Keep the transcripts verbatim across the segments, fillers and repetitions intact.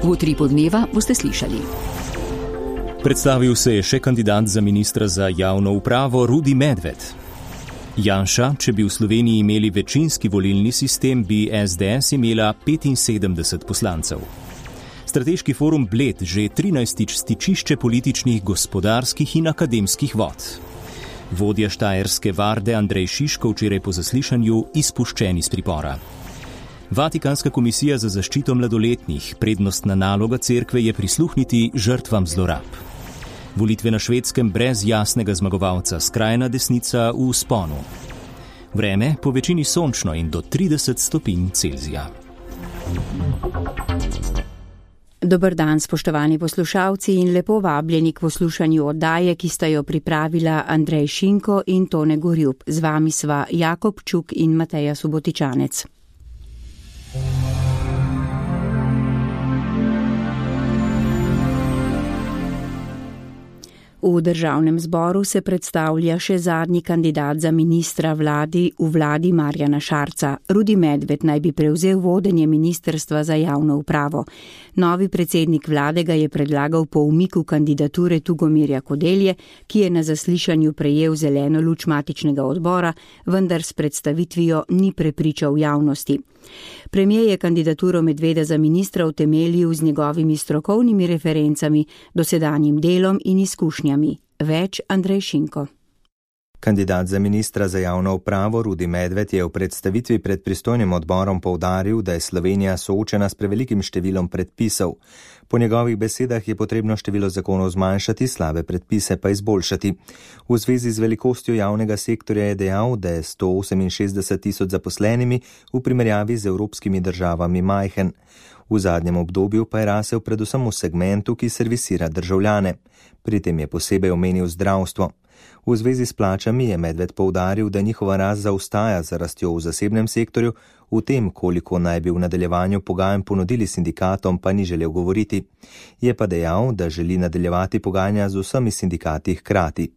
V Utripu dneva boste slišali. Predstavil se je še kandidat za ministra za javno upravo Rudi Medved. Janša, če bi v Sloveniji imeli večinski volilni sistem, bi es de es imela petinsedemdeset poslancev. Strateški forum Bled že trinajstič stičišče političnih, gospodarskih in akademskih vod. Vodja štajerske varde Andrej Šiško včeraj po zaslišanju izpuščen iz pripora. Vatikanska komisija za zaščito mladoletnih, prednostna naloga cerkve je prisluhniti žrtvam zlorab. Volitve na Švedskem brez jasnega zmagovalca, skrajna desnica v vzponu. Vreme po večini sončno in do trideset stopinj Celzija. Dober dan, spoštovani poslušalci, in lepo vabljeni k poslušanju oddaje, ki sta jo pripravila Andrej Šinko in Tone Gorjup. Z vami sva Jakob Čuk in Mateja Subotičanec. V državnem zboru se predstavlja še zadnji kandidat za ministra vladi v vladi Marjana Šarca. Rudi Medved naj bi prevzel vodenje ministrstva za javno upravo. Novi predsednik vlade ga je predlagal po umiku kandidature Tugomirja Kodelje, ki je na zaslišanju prejel zeleno luč matičnega odbora, vendar s predstavitvijo ni prepričal javnosti. Premijer je kandidaturo Medveda za ministra utemeljil z njegovimi strokovnimi referencami, dosedanjim delom in izkušnjami. Več Andrej Šinko. Kandidat za ministra za javno upravo Rudi Medved je v predstavitvi pred pristojnim odborom poudaril, da je Slovenija soočena s prevelikim številom predpisov. Po njegovih besedah je potrebno število zakonov zmanjšati, slabe predpise pa izboljšati. V zvezi z velikostjo javnega sektorja je dejal, da je sto oseminšestdeset tisoč zaposlenimi v primerjavi z evropskimi državami majhen. V zadnjem obdobju pa je rasel predvsem v segmentu, ki servisira državljane. Pri tem je posebej omenil zdravstvo. V zvezi s plačami je Medved poudaril, da njihova rast zaostaja za rastjo v zasebnem sektorju, v tem, koliko naj bi v nadaljevanju pogajanj ponudili sindikatom, pa ni želel govoriti. Je pa dejal, da želi nadaljevati pogajanja z vsemi sindikati hkrati.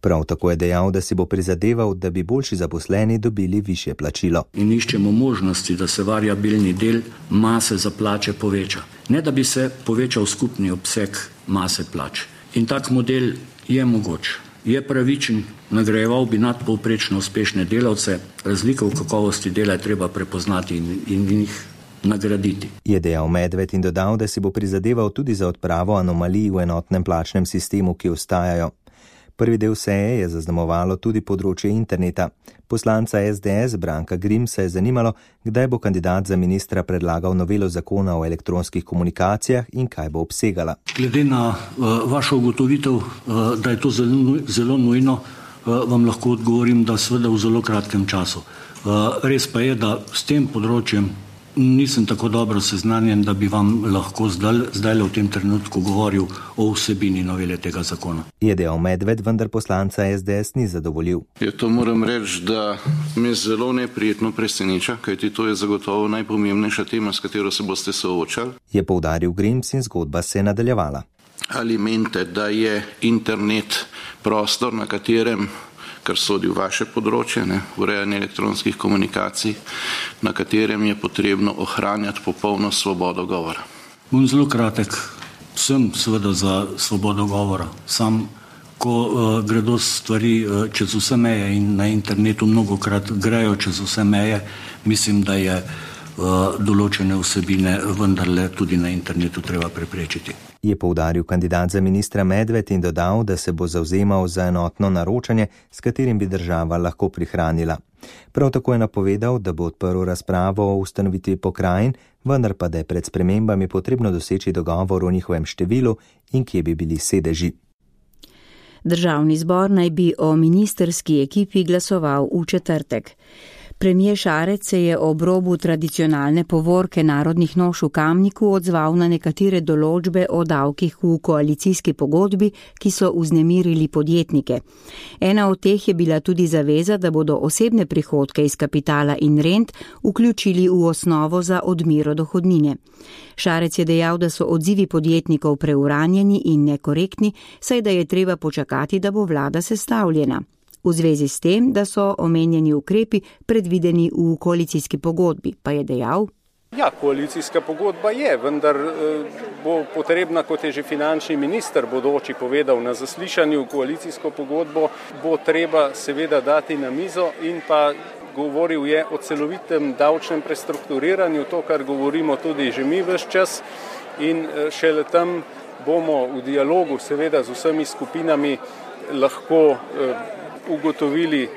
Prav tako je dejal, da si bo prizadeval, da bi boljši zaposleni dobili višje plačilo. In iščemo možnosti, da se variabilni del mase za plače poveča. Ne da bi se povečal skupni obseg mase plač. In tak model je mogoč. Je pravičen, nagrajeval bi nadpovprečno uspešne delavce, razlike v kakovosti dela je treba prepoznati in, in jih nagraditi. Je dejal Medved in dodal, da si bo prizadeval tudi za odpravo anomalij v enotnem plačnem sistemu, ki ostajajo. Prvi del seje je zaznamovalo tudi področje interneta. Poslanca es de es Branka Grimsa je zanimalo, kdaj bo kandidat za ministra predlagal novelo zakona o elektronskih komunikacijah in kaj bo obsegala. Glede na uh, vašo ugotovitev, uh, da je to zelo, zelo nujno, uh, vam lahko odgovorim, da seveda v zelo kratkem času. Uh, res pa je, da s tem področjem nisem tako dobro seznanjen, da bi vam lahko zdaj, zdaj v tem trenutku govoril o vsebini novele tega zakona. Je dejal Medved, vendar poslanca es de es ni zadovoljil. Je to moram reči, da me zelo neprijetno preseneča, kajti to je zagotovo najpomembnejša tema, s katero se boste soočali. Je poudaril Grims in zgodba se je nadaljevala. Ali menite, da je internet prostor, na katerem, kar sodi v vaše področje, ne, urejanje elektronskih komunikacij, na katerem je potrebno ohranjati popolno svobodo govora? Bom zelo kratek. Sem seveda za svobodo govora. Sam, ko uh, gredo stvari uh, čez vse meje in na internetu mnogokrat grejo čez vse meje, mislim, da je uh, določene vsebine vendarle tudi na internetu treba preprečiti. Je poudaril kandidat za ministra Medved in dodal, da se bo zavzemal za enotno naročanje, s katerim bi država lahko prihranila. Prav tako je napovedal, da bo odprl razpravo o ustanovitvi pokrajin, vendar pa da je pred spremembami potrebno doseči dogovor o njihovem številu in kje bi bili sedeži. Državni zbor naj bi o ministrski ekipi glasoval v četrtek. Premijer Šarec se je ob robu tradicionalne povorke narodnih noš v Kamniku odzval na nekatere določbe o davkih v koalicijski pogodbi, ki so vznemirili podjetnike. Ena od teh je bila tudi zaveza, da bodo osebne prihodke iz kapitala in rent vključili v osnovo za odmero dohodnine. Šarec je dejal, da so odzivi podjetnikov preuranjeni in nekorektni, saj da je treba počakati, da bo vlada sestavljena. V zvezi s tem, da so omenjeni ukrepi predvideni v koalicijski pogodbi, pa je dejal: Ja, koalicijska pogodba je, vendar bo potrebna, kot je že finančni minister bodoči povedal na zaslišanju, koalicijsko pogodbo bo treba seveda dati na mizo in pa govoril je o celovitem davčnem prestrukturiranju, to, kar govorimo tudi že mi ves čas in šele tam bomo v dialogu seveda z vsemi skupinami lahko ugotovili,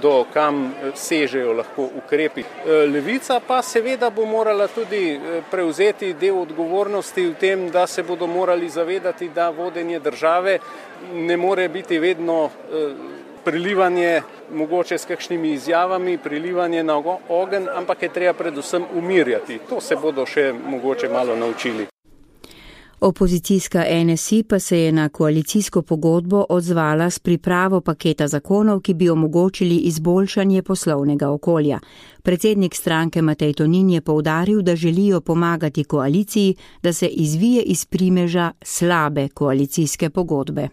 do kam sežejo lahko ukrepi. Levica pa seveda bo morala tudi prevzeti del odgovornosti v tem, da se bodo morali zavedati, da vodenje države ne more biti vedno prilivanje mogoče s kakšnimi izjavami, prilivanje na ogenj, ampak je treba predvsem umirjati. To se bodo še mogoče malo naučili. Opozicijska N S I pa se je na koalicijsko pogodbo odzvala s pripravo paketa zakonov, ki bi omogočili izboljšanje poslovnega okolja. Predsednik stranke Matej Tonin je poudaril, da želijo pomagati koaliciji, da se izvije iz primeža slabe koalicijske pogodbe.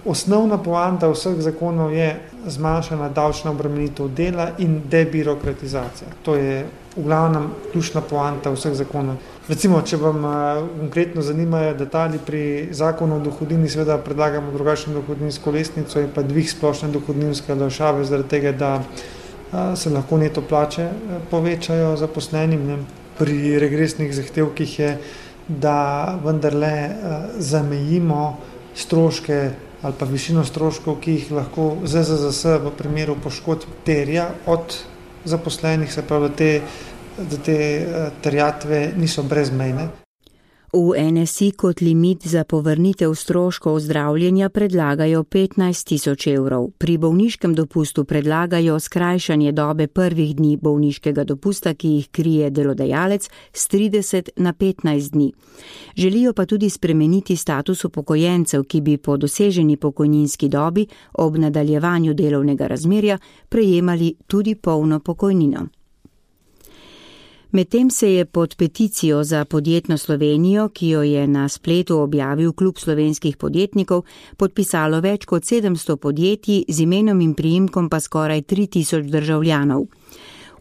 Osnovna poanta vseh zakonov je zmanjšana davčna obremenitev dela in debirokratizacija. To je v glavnem ključna poanta vseh zakonov. Recimo, če vam konkretno zanimajo detalji pri zakonu o dohodnini, seveda predlagamo drugačno dohodninsko lestvico in pa dvig splošne dohodninske olajšave, zaradi tega, da se lahko neto plače povečajo zaposlenim. Ne. Pri regresnih zahtevkih je, da vendarle zamejimo stroške ali pa višino stroškov, ki jih lahko Z Z Z S v primeru poškodb terja od zaposlenih, se pravi, da te, da te terjatve niso brezmejne. V N S I kot limit za povrnitev stroškov zdravljenja predlagajo petnajst tisoč evrov. Pri bolniškem dopustu predlagajo skrajšanje dobe prvih dni bolniškega dopusta, ki jih krije delodajalec, s trideset na petnajst dni. Želijo pa tudi spremeniti status upokojencev, ki bi po doseženi pokojninski dobi ob nadaljevanju delovnega razmerja prejemali tudi polno pokojnino. Medtem se je pod peticijo za podjetno Slovenijo, ki jo je na spletu objavil Klub slovenskih podjetnikov, podpisalo več kot sedemsto podjetij, z imenom in priimkom pa skoraj tri tisoč državljanov.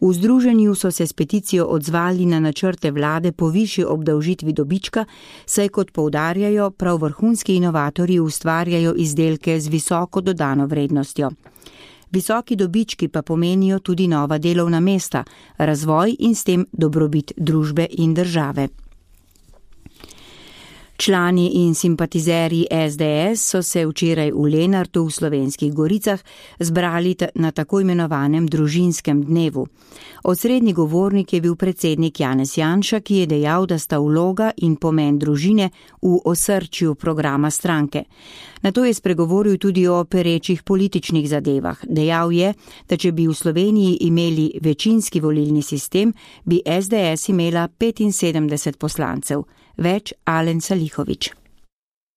V združenju so se s peticijo odzvali na načrte vlade po višji obdavžitvi dobička, saj kot poudarjajo, prav vrhunski inovatorji ustvarjajo izdelke z visoko dodano vrednostjo. Visoki dobički pa pomenijo tudi nova delovna mesta, razvoj in s tem dobrobit družbe in države. Člani in simpatizerji S D S so se včeraj v Lenartu v Slovenskih Goricah zbrali na tako imenovanem družinskem dnevu. Osrednji govornik je bil predsednik Janez Janša, ki je dejal, da sta vloga in pomen družine v osrčju programa stranke. Nato je spregovoril tudi o perečih političnih zadevah. Dejal je, da če bi v Sloveniji imeli večinski volilni sistem, bi S D S imela petinsedemdeset poslancev. Več Alen Salihović.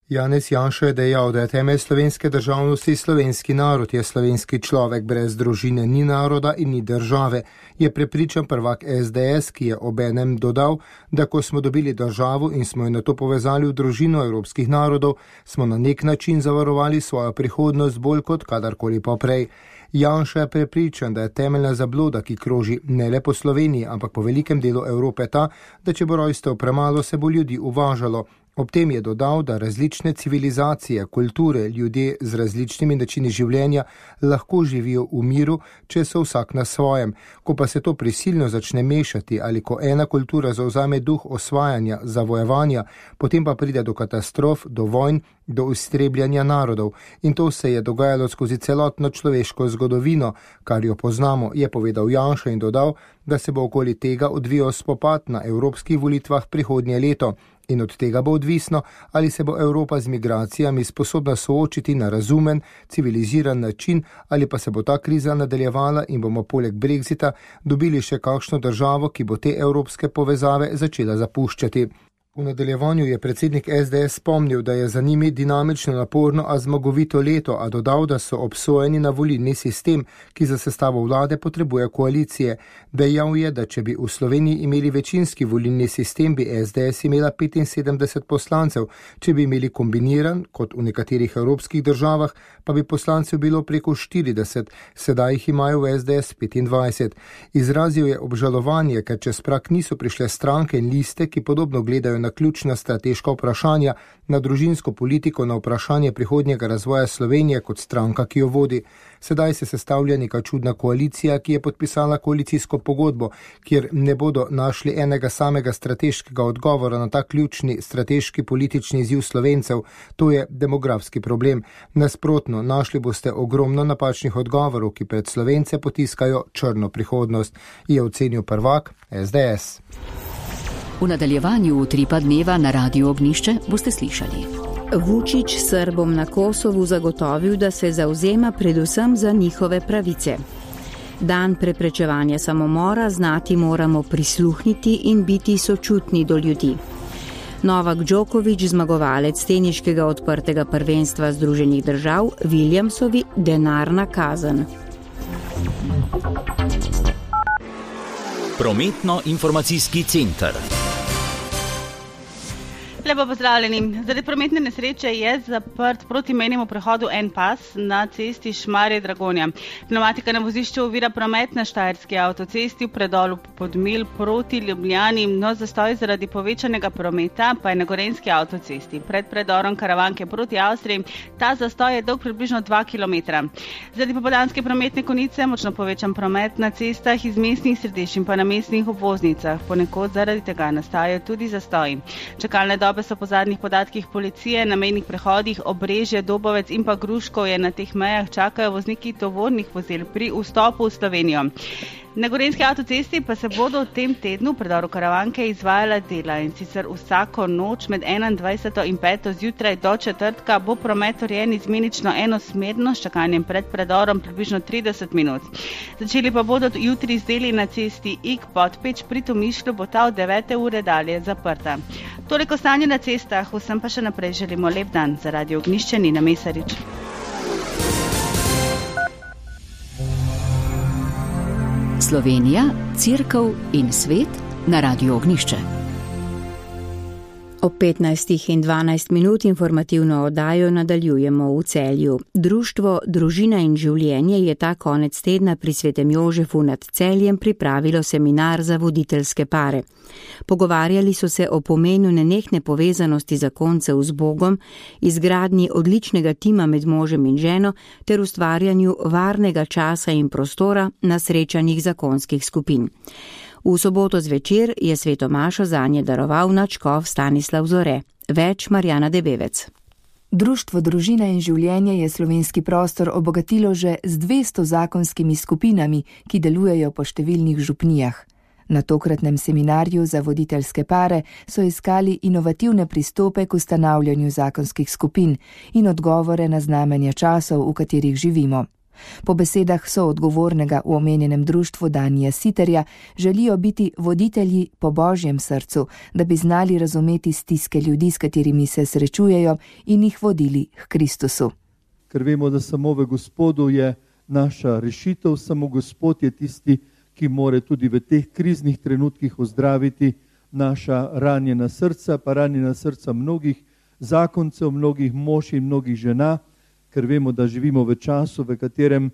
Janez Janša je dejal, da je temelj slovenske državnosti slovenski narod, je slovenski človek, brez družine ni naroda in ni države, je prepričan prvak S D S, ki je obenem dodal, da ko smo dobili državo in smo jo nato povezali v družino evropskih narodov, smo na nek način zavarovali svojo prihodnost bolj kot kadarkoli poprej. Janša je prepričan, da je temeljna zabloda, ki kroži ne le po Sloveniji, ampak po velikem delu Evrope ta, da če bo rojstev premalo, se bo ljudi uvažalo. Ob tem je dodal, da različne civilizacije, kulture, ljudje z različnimi načini življenja lahko živijo v miru, če so vsak na svojem. Ko pa se to prisilno začne mešati ali ko ena kultura zavzame duh osvajanja, zavojevanja, potem pa pride do katastrof, do vojn, do iztrebljanja narodov. In to se je dogajalo skozi celotno človeško zgodovino, kar jo poznamo, je povedal Janša in dodal, da se bo okoli tega odvijal spopad na evropskih volitvah prihodnje leto. In od tega bo odvisno, ali se bo Evropa z migracijami sposobna soočiti na razumen, civiliziran način, ali pa se bo ta kriza nadaljevala in bomo poleg Brexita dobili še kakšno državo, ki bo te evropske povezave začela zapuščati. V nadaljevanju je predsednik S D S spomnil, da je za njimi dinamično, naporno, a zmagovito leto, a dodal, da so obsojeni na volilni sistem, ki za sestavo vlade potrebuje koalicije. Dejal je, da če bi v Sloveniji imeli večinski volilni sistem, bi S D S imela petinsedemdeset poslancev, če bi imeli kombiniran, kot v nekaterih evropskih državah, pa bi poslancev bilo preko štirideset, sedaj jih imajo v S D S petindvajset. Izrazil je obžalovanje, ker čez prak niso prišle stranke in liste, ki podobno gledajo na ključna strateška vprašanja, na družinsko politiko, na vprašanje prihodnjega razvoja Slovenije kot stranka, ki jo vodi. Sedaj se sestavlja neka čudna koalicija, ki je podpisala koalicijsko pogodbo, kjer ne bodo našli enega samega strateškega odgovora na ta ključni strateški politični izziv Slovencev, to je demografski problem. Nasprotno, našli boste ogromno napačnih odgovorov, ki pred Slovence potiskajo črno prihodnost, je ocenil prvak S D S. V nadaljevanju utripa dneva na Radiu Ognjišče boste slišali. Vučić Srbom na Kosovu zagotovil, da se zavzema predvsem za njihove pravice. Dan preprečevanja samomora znati moramo prisluhniti in biti sočutni do ljudi. Novak Djokovic, zmagovalec teniškega odprtega prvenstva Združenih držav, Williamsovi denarna kazen. Prometno-informacijski center. Lepo pozdravljeni. Zaradi prometne nesreče je zaprt proti mejnemu prehodu en pas na cesti Šmarje-Dragonja. Pneumatika na vozišču ovira promet na Štajerski avtocesti v predolu Podmilj proti Ljubljani, no zastoj zaradi povečanega prometa pa je na Gorenjski avtocesti. Pred predorom Karavanke proti Avstriji ta zastoj je dolg približno dva kilometra. Zaradi popoldanske prometne konice močno povečan promet na cestah iz mestnih središč in pa na mestnih obvoznicah. Ponekod zaradi tega nastajajo tudi zastoji. Čakalne dobe so po zadnjih podatkih policije na mejnih prehodih Obrežje, Dobovec in pa Gruškovje. Na teh mejah čakajo vozniki tovornih vozil pri vstopu v Slovenijo. Na Gorenjski avtocesti pa se bodo v tem tednu v predoru Karavanke izvajala dela in sicer vsako noč med enaindvajseto in peto zjutraj do četrtka bo promet urejen izmenično enosmerno s čakanjem pred predorom približno trideset minut. Začeli pa bodo jutri z deli na cesti Ig-Podpeč pri Tomišlju, bo ta od devete ure dalje zaprta. Toliko stanje na cestah, vsem pa še naprej želimo lep dan. Za Radio Ognjišče Nina Mesarič. Slovenija, Cerkev in svet na Radiu Ognjišče. Ob petnajstih in dvanajst minut informativno oddajo nadaljujemo v Celju. Društvo Družina in življenje je ta konec tedna pri Svetem Jožefu nad Celjem pripravilo seminar za voditeljske pare. Pogovarjali so se o pomenu nenehne povezanosti zakoncev z Bogom, izgradnji odličnega tima med možem in ženo ter ustvarjanju varnega časa in prostora na srečanjih zakonskih skupin. V soboto zvečer je sveto mašo zanje daroval nadškof Stanislav Zore. Več Marjana Debevec. Društvo Družina in življenje je slovenski prostor obogatilo že z dvesto zakonskimi skupinami, ki delujejo po številnih župnijah. Na tokratnem seminarju za voditeljske pare so iskali inovativne pristope k ustanavljanju zakonskih skupin in odgovore na znamenja časov, v katerih živimo. Po besedah soodgovornega v omenjenem društvu Danija Siterja želijo biti voditelji po Božjem srcu, da bi znali razumeti stiske ljudi, s katerimi se srečujejo, in jih vodili k Kristusu. Ker vemo, da samo v Gospodu je naša rešitev, samo Gospod je tisti, ki more tudi v teh kriznih trenutkih ozdraviti naša ranjena srca, pa ranjena srca mnogih zakoncev, mnogih mož in mnogih žena, ker vemo, da živimo v času, v katerem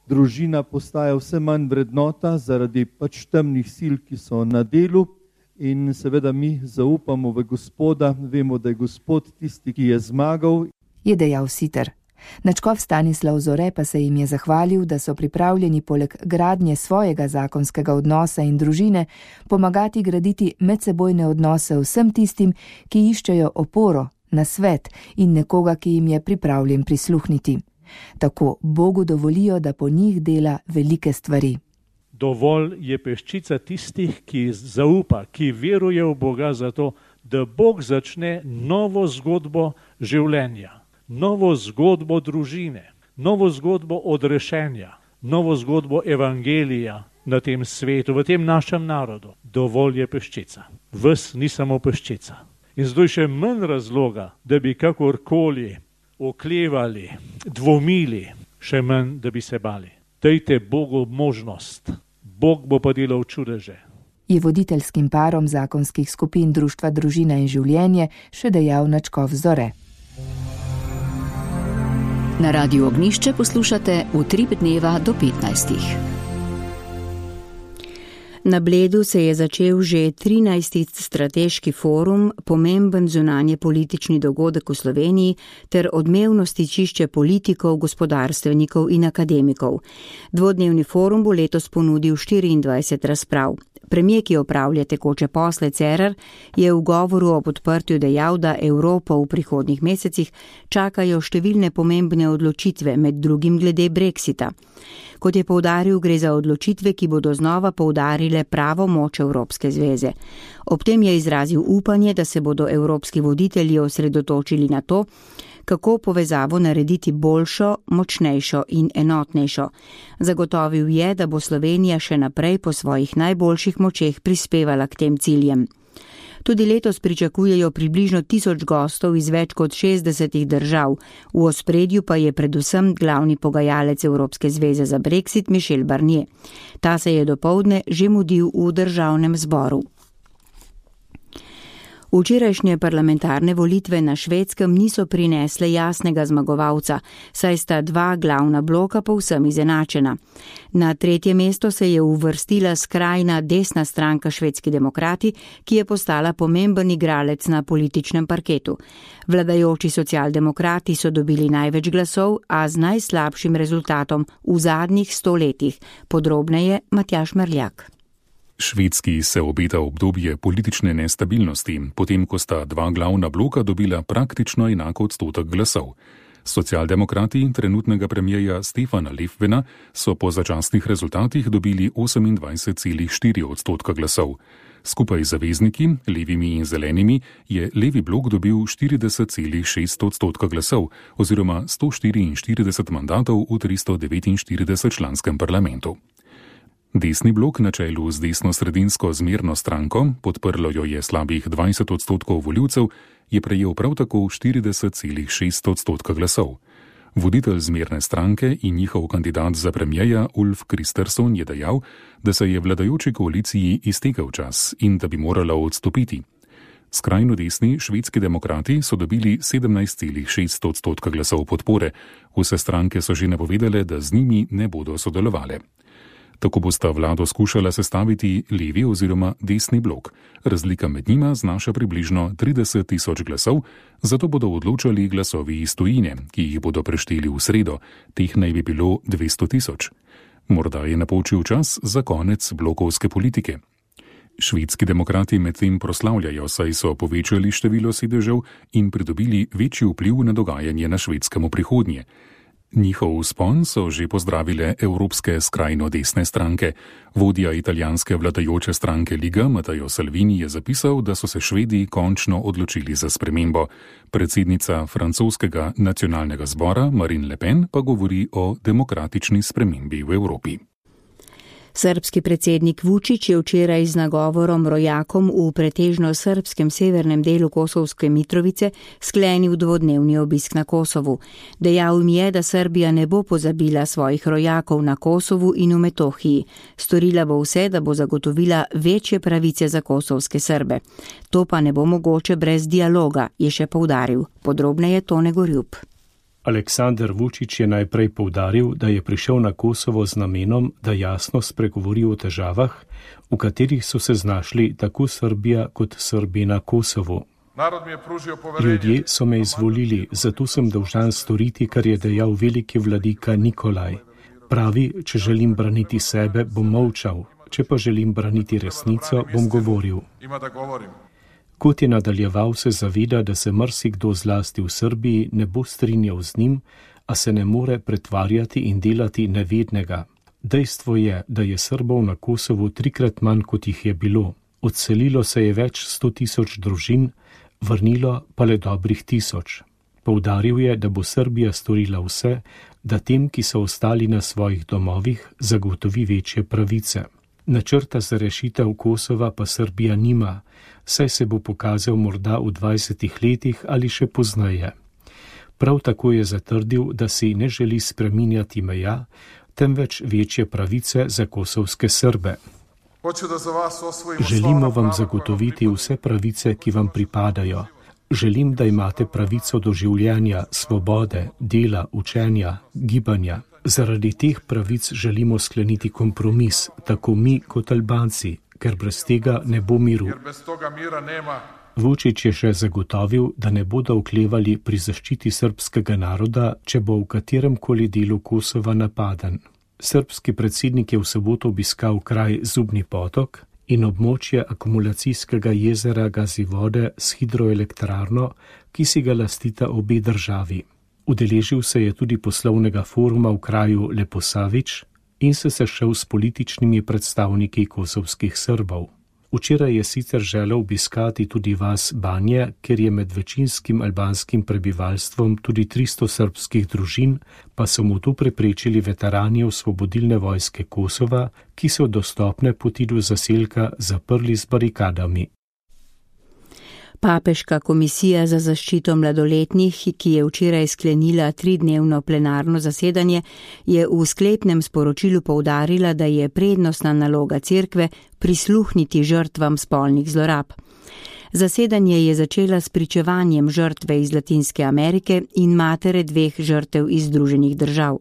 družina postaja vse manj vrednota zaradi pač temnih sil, ki so na delu, in seveda mi zaupamo v Gospoda, vemo, da je Gospod tisti, ki je zmagal. Je dejal Siter. Nadškof Stanislav Zore pa se jim je zahvalil, da so pripravljeni poleg gradnje svojega zakonskega odnosa in družine pomagati graditi medsebojne odnose vsem tistim, ki iščejo oporo, nasvet in nekoga, ki jim je pripravljen prisluhniti. Tako Bogu dovolijo, da po njih dela velike stvari. Dovolj je peščica tistih, ki zaupa, ki veruje v Boga za to, da Bog začne novo zgodbo življenja, novo zgodbo družine, novo zgodbo odrešenja, novo zgodbo evangelija na tem svetu, v tem našem narodu. Dovolj je peščica. Ves ni samo peščica. In zdaj še manj razloga, da bi kakorkoli oklevali, dvomili, še manj, da bi se bali. Dajte Bogu možnost. Bog bo pa delal čudeže. Je voditeljskim parom zakonskih skupin Društva Družina in življenje še dejal Načkov Zore. Na Radiu Ognjišče poslušate Utrip dneva do petnajstih. Na Bledu se je začel že trinajsti strateški forum, pomemben zunanje politični dogodek v Sloveniji ter odmevno stičišče politikov, gospodarstvenikov in akademikov. Dvodnevni forum bo letos ponudil štiriindvajset razprav. Premijer, ki opravlja tekoče posle, Cerar, je v govoru ob odprtju dejal, da Evropo v prihodnjih mesecih čakajo številne pomembne odločitve, med drugim glede Brexita. Kot je poudaril, gre za odločitve, ki bodo znova poudarile pravo moč Evropske zveze. Ob tem je izrazil upanje, da se bodo evropski voditelji osredotočili na to, kako povezavo narediti boljšo, močnejšo in enotnejšo. Zagotovil je, da bo Slovenija še naprej po svojih najboljših močeh prispevala k tem ciljem. Tudi letos pričakujejo približno tisoč gostov iz več kot šestdesetih držav. V ospredju pa je predvsem glavni pogajalec Evropske zveze za Brexit Michel Barnier. Ta se je dopoldne že mudil v državnem zboru. Včerajšnje parlamentarne volitve na Švedskem niso prinesle jasnega zmagovalca, saj sta dva glavna bloka povsem izenačena. Na tretje mesto se je uvrstila skrajna desna stranka Švedski demokrati, ki je postala pomemben igralec na političnem parketu. Vladajoči socialdemokrati so dobili največ glasov, a z najslabšim rezultatom v zadnjih sto letih. Podrobneje Matjaž Merljak. Švedski se obeta obdobje politične nestabilnosti, potem ko sta dva glavna bloka dobila praktično enako odstotek glasov. Socialdemokrati trenutnega premijeja Stefana Löfvena so po začasnih rezultatih dobili osemindvajset celih štiri odstotka glasov. Skupaj z zavezniki, levimi in zelenimi, je levi blok dobil štirideset celih šest odstotka glasov oziroma sto štiriinštirideset mandatov v tristo devetinštirideset članskem parlamentu. Desni blok na čelu z desno-sredinsko zmerno stranko, podprlo jo je slabih dvajset odstotkov voljivcev, je prejel prav tako štirideset celih šest odstotka glasov. Voditelj zmerne stranke in njihov kandidat za premijeja Ulf Kristersson je dejal, da se je vladajoči koaliciji iztekel čas in da bi morala odstopiti. Skrajno desni švedski demokrati so dobili sedemnajst celih šest odstotka glasov podpore, vse stranke so že napovedale, da z njimi ne bodo sodelovale. Tako bosta vlado skušala sestaviti levi oziroma desni blok. Razlika med njima znaša približno trideset tisoč glasov, zato bodo odločali glasovi iz tujine, ki jih bodo prešteli v sredo, teh naj bi bilo dvesto tisoč. Morda je napočil čas za konec blokovske politike. Švedski demokrati medtem proslavljajo, saj so povečali število sedežev in pridobili večji vpliv na dogajanje na Švedskem v prihodnje. Njihov vzpon so že pozdravile evropske skrajno desne stranke. Vodja italijanske vladajoče stranke Liga Matteo Salvini je zapisal, da so se Švedi končno odločili za spremembo. Predsednica francoskega nacionalnega zbora Marine Le Pen pa govori o demokratični spremembi v Evropi. Srbski predsednik Vučić je včeraj z nagovorom rojakom v pretežno srbskem severnem delu Kosovske Mitrovice sklenil dvodnevni obisk na Kosovu. Dejal jim je, da Srbija ne bo pozabila svojih rojakov na Kosovu in v Metohiji. Storila bo vse, da bo zagotovila večje pravice za kosovske Srbe. To pa ne bo mogoče brez dialoga, je še poudaril. Podrobneje Tone Gorjup. Aleksandar Vučić je najprej poudaril, da je prišel na Kosovo z namenom, da jasno spregovori o težavah, v katerih so se znašli tako Srbija kot Srbi na Kosovu. Ljudje so me izvolili, zato sem dolžan storiti, kar je dejal veliki vladika Nikolaj. Pravi, če želim braniti sebe, bom molčal, če pa želim braniti resnico, bom govoril. Kot je nadaljeval, se zaveda, da se marsikdo zlasti v Srbiji ne bo strinjal z njim, a se ne more pretvarjati in delati nevednega. Dejstvo je, da je Srbov na Kosovu trikrat manj, kot jih je bilo. Odselilo se je več sto tisoč družin, vrnilo pa le dobrih tisoč. Poudaril je, da bo Srbija storila vse, da tem, ki so ostali na svojih domovih, zagotovi večje pravice. Načrta za rešitev Kosova pa Srbija nima, saj se bo pokazal morda v dvajsetih letih ali še pozneje. Prav tako je zatrdil, da si ne želi spreminjati meja, temveč večje pravice za kosovske Srbe. Želimo vam zagotoviti vse pravice, ki vam pripadajo. Želim, da imate pravico do življenja, svobode, dela, učenja, gibanja. Zaradi teh pravic želimo skleniti kompromis, tako mi kot Albanci, ker brez tega ne bo miru. Vučić je še zagotovil, da ne bodo oklevali pri zaščiti srbskega naroda, če bo v katerem koli delu Kosova napaden. Srbski predsednik je v soboto obiskal kraj Zubni potok in območje akumulacijskega jezera Gazivode s hidroelektrarno, ki si ga lastita obe državi. Udeležil se je tudi poslovnega foruma v kraju Leposavić in se sešel s političnimi predstavniki kosovskih Srbov. Včeraj je sicer želel obiskati tudi vas Banje, ker je med večinskim albanskim prebivalstvom tudi tristo srbskih družin, pa so mu to preprečili veterani Osvobodilne vojske Kosova, ki so dostopne poti do zaselka zaprli z barikadami. Papeška komisija za zaščito mladoletnih, ki je včeraj sklenila tridnevno plenarno zasedanje, je v sklepnem sporočilu poudarila, da je prednostna naloga cerkve prisluhniti žrtvam spolnih zlorab. Zasedanje je začela s pričevanjem žrtve iz Latinske Amerike in matere dveh žrtev iz Združenih držav.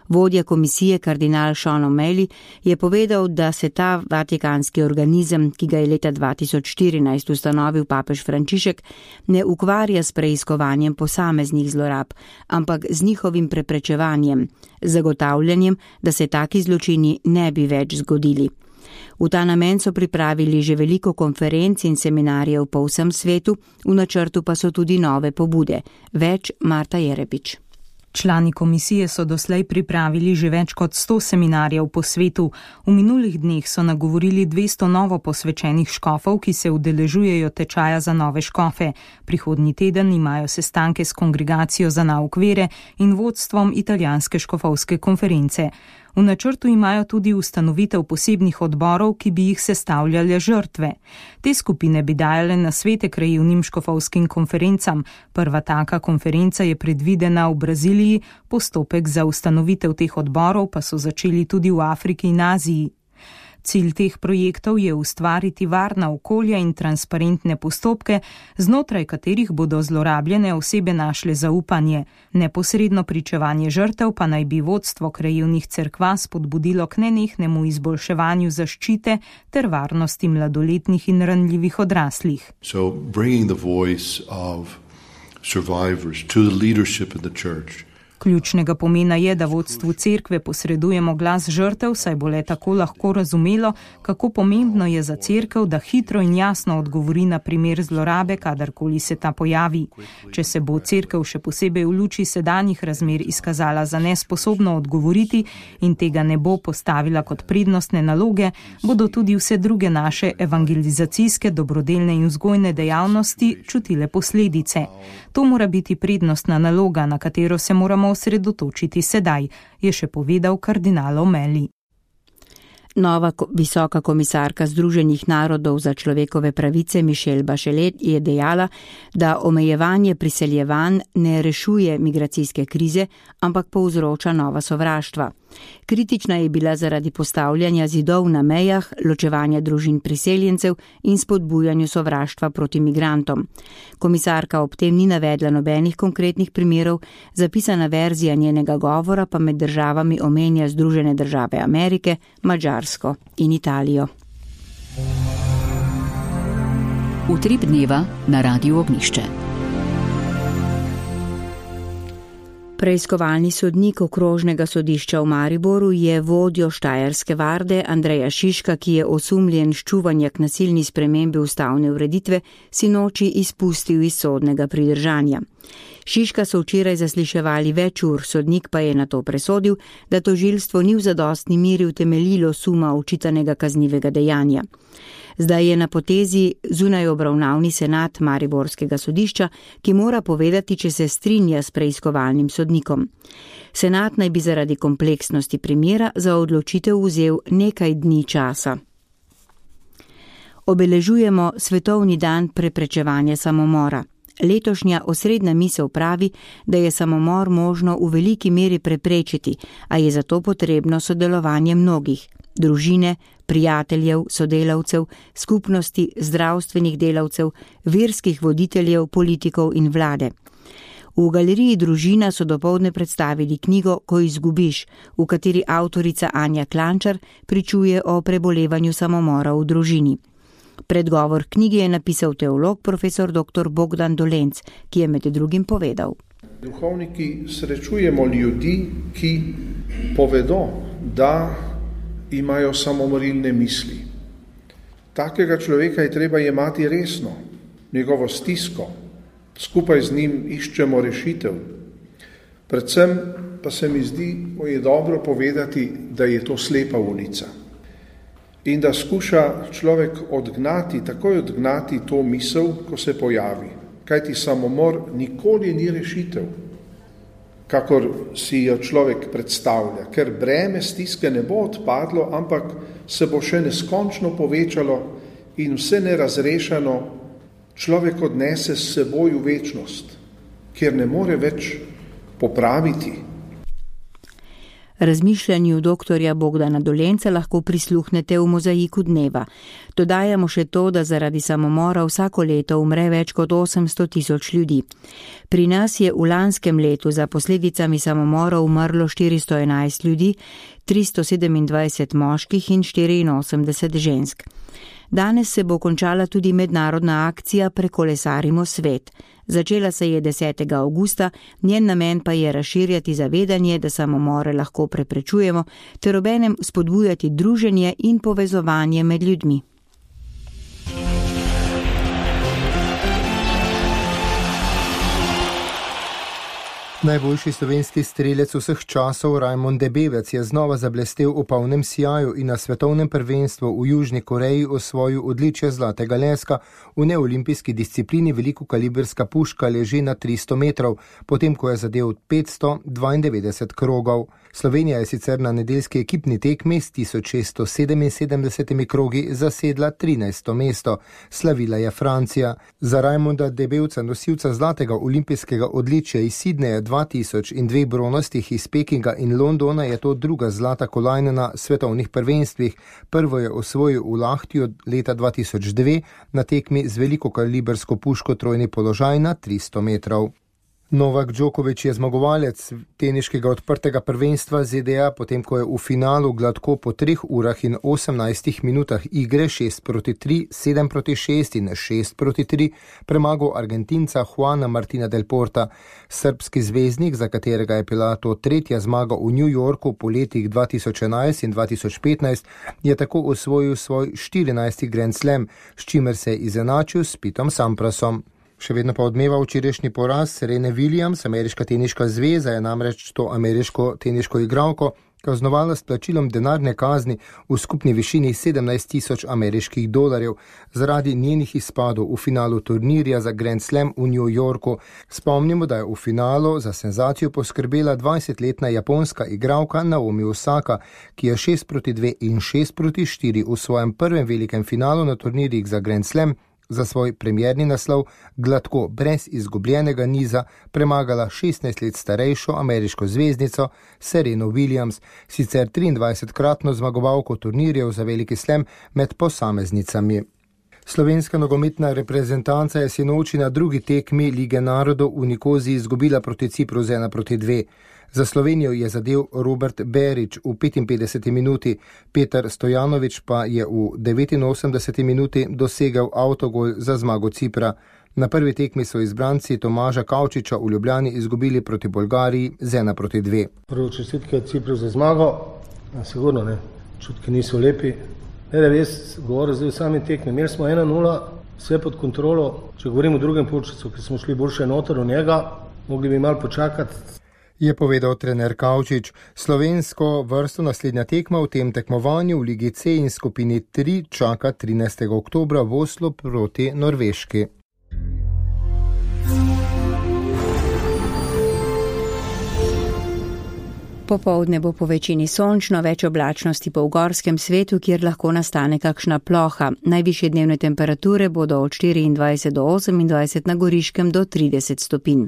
Vodja komisije kardinal Sean O'Malley je povedal, da se ta vatikanski organizem, ki ga je leta dva tisoč štirinajst ustanovil papež Frančišek, ne ukvarja s preiskovanjem posameznih zlorab, ampak z njihovim preprečevanjem, zagotavljanjem, da se taki zločini ne bi več zgodili. V ta namen so pripravili že veliko konferenc in seminarjev po vsem svetu, v načrtu pa so tudi nove pobude. Več Marta Jerepič. Člani komisije so doslej pripravili že več kot sto seminarjev po svetu. V minulih dneh so nagovorili dvesto novo posvečenih škofov, ki se udeležujejo tečaja za nove škofe. Prihodnji teden imajo sestanke s kongregacijo za nauk vere in vodstvom italijanske škofovske konference. V načrtu imajo tudi ustanovitev posebnih odborov, ki bi jih sestavljale žrtve. Te skupine bi dajale nasvete krajevnim škofovskim konferencam. Prva taka konferenca je predvidena v Braziliji, postopek za ustanovitev teh odborov pa so začeli tudi v Afriki in Aziji. Cilj teh projektov je ustvariti varna okolja in transparentne postopke, znotraj katerih bodo zlorabljene osebe našle zaupanje. Neposredno pričevanje žrtev pa naj bi vodstvo krajevnih cerkva spodbudilo k nenehnemu izboljševanju zaščite ter varnosti mladoletnih in ranljivih odraslih. So bringing the voice of survivors to the leadership in the church. Ključnega pomena je, da vodstvu cerkve posredujemo glas žrtev, saj bo le tako lahko razumelo, kako pomembno je za cerkev, da hitro in jasno odgovori na primer zlorabe, kadarkoli se ta pojavi. Če se bo cerkev še posebej v luči sedanjih razmer izkazala za nesposobno odgovoriti in tega ne bo postavila kot prednostne naloge, bodo tudi vse druge naše evangelizacijske, dobrodelne in vzgojne dejavnosti čutile posledice. To mora biti prednostna naloga, na katero se moramo osredotočiti sedaj, je še povedal kardinal O'Malley. Nova visoka komisarka Združenih narodov za človekove pravice Michelle Bachelet je dejala, da omejevanje priseljevanj ne rešuje migracijske krize, ampak povzroča nova sovraštva. Kritična je bila zaradi postavljanja zidov na mejah, ločevanja družin priseljencev in spodbujanju sovraštva proti migrantom. Komisarka ob tem ni navedla nobenih konkretnih primerov, zapisana verzija njenega govora pa med državami omenja Združene države Amerike, Madžarsko in Italijo. Utrip dneva na Radiu Ognjišče. Preiskovalni sodnik okrožnega sodišča v Mariboru je vodjo Štajerske varde Andreja Šiška, ki je osumljen ščuvanja k nasilni spremembi ustavne ureditve, sinoči izpustil iz sodnega pridržanja. Šiška so včeraj zasliševali več ur, sodnik pa je na to presodil, da tožilstvo ni v zadostni meri utemeljilo suma očitanega kaznivega dejanja. Zdaj je na potezi zunaj obravnavni senat Mariborskega sodišča, ki mora povedati, če se strinja s preiskovalnim sodnikom. Senat naj bi zaradi kompleksnosti primera za odločitev vzel nekaj dni časa. Obeležujemo Svetovni dan preprečevanja samomora. Letošnja osrednja misel pravi, da je samomor možno v veliki meri preprečiti, a je zato potrebno sodelovanje mnogih, družine, prijateljev, sodelavcev, skupnosti, zdravstvenih delavcev, verskih voditeljev, politikov in vlade. V galeriji Družina so dopoldne predstavili knjigo Ko izgubiš, v kateri avtorica Anja Klančar pričuje o prebolevanju samomora v družini. Predgovor knjigi je napisal teolog profesor doktor Bogdan Dolenc, ki je med drugim povedal. Duhovniki srečujemo ljudi, ki povedo, da imajo samomorilne misli. Takega človeka je treba jemati resno, njegovo stisko, skupaj z njim iščemo rešitev. Predvsem pa se mi zdi, da je dobro povedati, da je to slepa ulica. In da skuša človek odgnati, takoj odgnati to misel, ko se pojavi. Kajti samomor nikoli ni rešitev, kakor si jo človek predstavlja, ker breme stiske ne bo odpadlo, ampak se bo še neskončno povečalo in vse nerazrešeno človek odnese s seboj v večnost, kjer ne more več popraviti. Razmišljanju doktorja Bogdana Dolenca lahko prisluhnete v mozaiku dneva. Dodajamo še to, da zaradi samomora vsako leto umre več kot osemsto tisoč ljudi. Pri nas je v lanskem letu za posledicami samomora umrlo štiristo enajst ljudi, tristo sedemindvajset moških in štiriinosemdeset žensk. Danes se bo končala tudi mednarodna akcija Prekolesarimo svet. Začela se je desetega avgusta, njen namen pa je razširjati zavedanje, da samomore lahko preprečujemo, ter obenem spodbujati druženje in povezovanje med ljudmi. Najboljši slovenski strelec vseh časov Rajmond Debevec je znova zablestel v polnem sijaju in na svetovnem prvenstvu v Južni Koreji osvojil odličje zlatega leska v neolimpijski disciplini velikokaliberska puška leži na tristo metrov, potem ko je zadel petsto dvaindevetdeset krogov. Slovenija je sicer na nedeljski ekipni tekmi s tisoč šeststo sedeminsedemdesetimi krogi zasedla trinajsto mesto. Slavila je Francija. Za Rajmonda Debevca, nosilca zlatega olimpijskega odličja iz Sidneja dva tisoč in dveh bronastih iz Pekinga in Londona, je to druga zlata kolajna na svetovnih prvenstvih. Prvo je osvojil v Lahtiju leta dva tisoč dve na tekmi z velikokalibersko puško trojni položaj na tristo metrov. Novak Djokovic je zmagovalec teniškega odprtega prvenstva Z D A, potem ko je v finalu gladko po treh urah in osemnajstih minutah igre šest proti tri, sedem proti šest in šest proti tri premagal Argentinca Juana Martina del Porta. Srbski zvezdnik, za katerega je bila to tretja zmaga v New Yorku po letih dva tisoč enajst in dva tisoč petnajst, je tako osvojil svoj štirinajsti Grand Slam, s čimer se je izenačil s Pitom Samprasom. Še vedno pa odmeva včerajšnji poraz Serene Williams. Ameriška teniška zveza je namreč to ameriško teniško igralko kaznovala s plačilom denarne kazni v skupni višini sedemnajst tisoč ameriških dolarjev zaradi njenih izpadov v finalu turnirja za Grand Slam v New Yorku. Spomnimo, da je v finalu za senzacijo poskrbela dvajsetletna japonska igralka Naomi Osaka, ki je šest proti dve in šest proti štiri v svojem prvem velikem finalu na turnirjih za Grand Slam za svoj premierni naslov gladko brez izgubljenega niza premagala šestnajst let starejšo ameriško zvezdnico Sereno Williams, sicer triindvajsetkratno zmagovalko turnirjev za veliki slam med posameznicami. Slovenska nogometna reprezentanca je sinoči na drugi tekmi Lige narodov v Nikoziji izgubila proti Cipru z ena proti dve. Za Slovenijo je zadel Robert Berić v petinpetdeseti minuti, Petar Stojanović pa je v devetinosemdeseti minuti dosegel avtogol za zmago Cipra. Na prvi tekmi so izbranci Tomaža Kavčiča v Ljubljani izgubili proti Bolgariji z ena proti dve. Prvo čestitke Cipru za zmago, sigurno ne, čutki niso lepi. Ne, da jaz govoril zdaj v sami tekmi, imeli smo ena nula, vse pod kontrolo. Če govorimo o drugem polčasu, ki smo šli boljše noter v njega, mogli bi malo počakati. Je povedal trener Kavčič. Slovensko vrsto naslednja tekma v tem tekmovanju v Ligi C in skupini tri čaka trinajstega oktobra v Oslu proti Norveški. Popoldne bo po večini sončno, več oblačnosti po ugorskem svetu, kjer lahko nastane kakšna ploha. Najvišje dnevne temperature bodo od štiriindvajset do osemindvajset, na Goriškem do trideset stopinj.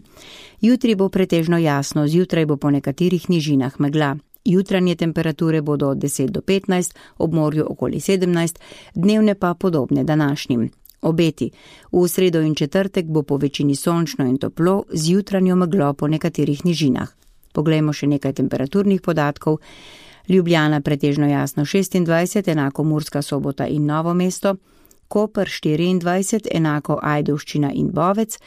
Jutri bo pretežno jasno, zjutraj bo po nekaterih nižinah megla. Jutranje temperature bodo od deset do petnajst, ob morju okoli sedemnajst, dnevne pa podobne današnjim. Obeti. V sredo in četrtek bo po večini sončno in toplo, z jutranjo meglo po nekaterih nižinah. Poglejmo še nekaj temperaturnih podatkov. Ljubljana pretežno jasno šestindvajset, enako Murska Sobota in Novo mesto, Koper štiriindvajset, enako Ajdovščina in Bovec,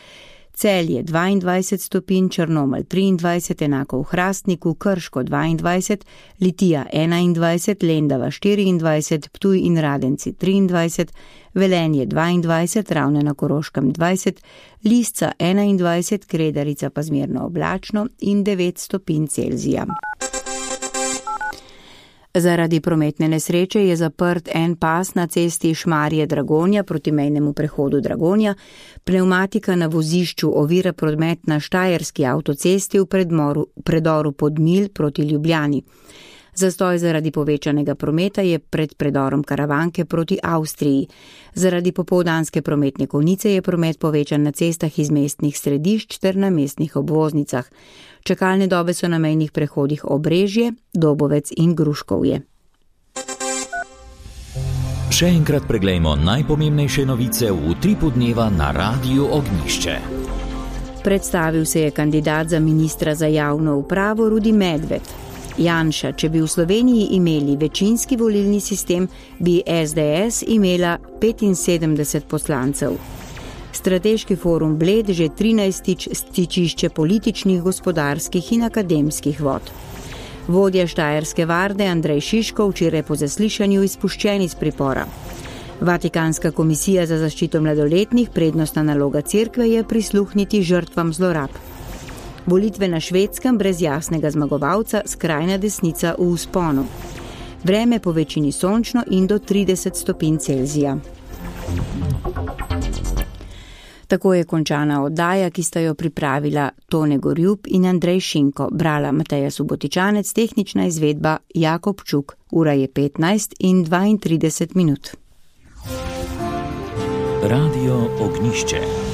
Celje dvaindvajset stopinj, Črnomelj triindvajset, enako v Hrastniku, Krško dvaindvajset, Litija enaindvajset, Lendava štiriindvajset, Ptuj in Radenci triindvajset, Velenje dvaindvajset, Ravne na Koroškem dvajset, Lisca enaindvajset, Kredarica pa zmerno oblačno in devet stopinj Celzija. Zaradi prometne nesreče je zaprt en pas na cesti Šmarje-Dragonja proti mejnemu prehodu Dragonja. Pneumatika na vozišču ovira promet na štajerski avtocesti v predmoru, predoru Podmilj proti Ljubljani. Zastoj zaradi povečanega prometa je pred predorom Karavanke proti Avstriji. Zaradi popoldanske prometne konice je promet povečan na cestah iz mestnih središč ter na mestnih obvoznicah. Čakalne dobe so na mejnih prehodih Obrežje, Dobovec in Gruškovje. Še enkrat preglejmo najpomembnejše novice v utripu dneva na Radiu Ognjišče. Predstavil se je kandidat za ministra za javno upravo Rudi Medved. Janša, če bi v Sloveniji imeli večinski volilni sistem, bi es de es imela petinsedemdeset poslancev. Strateški forum Bled že trinajstič stičišče političnih, gospodarskih in akademskih vod. Vodja Štajerske varde Andrej Šiško včeraj po zaslišanju izpuščen iz pripora. Vatikanska komisija za zaščito mladoletnih, prednostna naloga cerkve je prisluhniti žrtvam zlorab. Volitve na Švedskem brez jasnega zmagovalca, skrajna desnica v vzponu. Vreme po večini sončno in do trideset stopinj Celzija. Tako je končana oddaja, ki sta jo pripravila Tone Gorjub in Andrej Šinko, brala Mateja Subotičanec, tehnična izvedba Jakob Čuk. Ura je petnajst in dvaintrideset minut. Radio Ognjišče.